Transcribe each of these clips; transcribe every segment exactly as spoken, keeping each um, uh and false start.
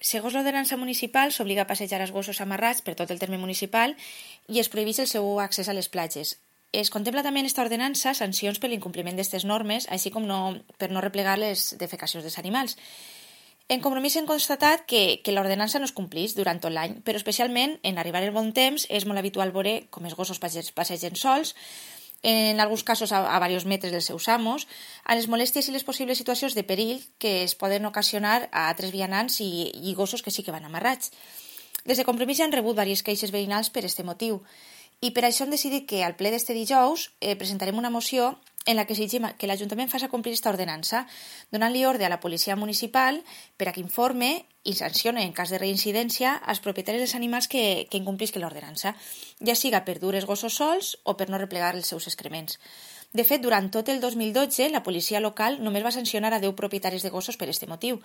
Segons l'ordenança municipal, s'obliga a passejar els gossos amarrats per tot el terme municipal i es prohibeix el seu accés a les platges. Es contempla també en aquesta ordenança sancions per l'incompliment d'aquestes normes, així com no, per no replegar les defecacions dels animals. En Compromís hem constatat que, que l'ordenança no es complís durant tot l'any, però especialment en arribar el bon temps és molt habitual veure com els gossos passegen sols, en alguns casos a, a diversos metres dels seus amos, a les molèsties i les possibles situacions de perill que es poden ocasionar a altres vianants i, i gossos que sí que van amarrats. Des de Compromís ja han rebut diverses queixes veïnals per aquest motiu, i per això hem decidit que al ple d'este dijous eh, presentarem una moció en la que exigim que l'Ajuntament faci complir aquesta ordenança, donant-li ordre a la policia municipal per a que informe i sancione en cas de reincidència als propietaris dels animals que, que incomplisquen l'ordenança, ja siga per dur els gossos sols o per no replegar els seus excrements. De fet, durant tot el dos mil dotze, la policia local només va sancionar a deu propietaris de gossos per aquest motiu.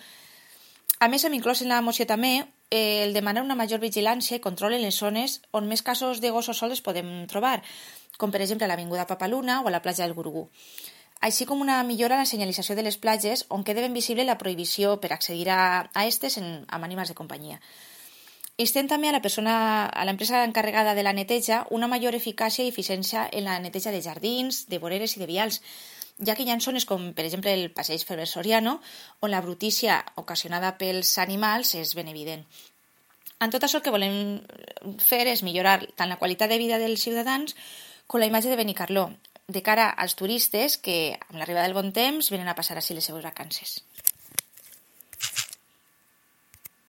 A més, hem inclòs en la moció també eh, el demanar una major vigilància i control en les zones on més casos de gossos sols es podem trobar, com per exemple a l'Avinguda Papaluna o a la platja del Gurugú, així com una millora en la senyalització de les platges on queda ben visible la prohibició per accedir a, a estes en, amb animals de companyia. Instem també a la persona, a l'empresa encarregada de la neteja una major eficàcia i eficiència en la neteja de jardins, de voreres i de vials, ja que hi ha zones com, per exemple, el passeig Ferrer Soriano, on la brutícia ocasionada pels animals és ben evident. En tot això el que volem fer és millorar tant la qualitat de vida dels ciutadans com la imatge de Benicarló, de cara als turistes que, amb l'arribada del bon temps, venen a passar així les seves vacances.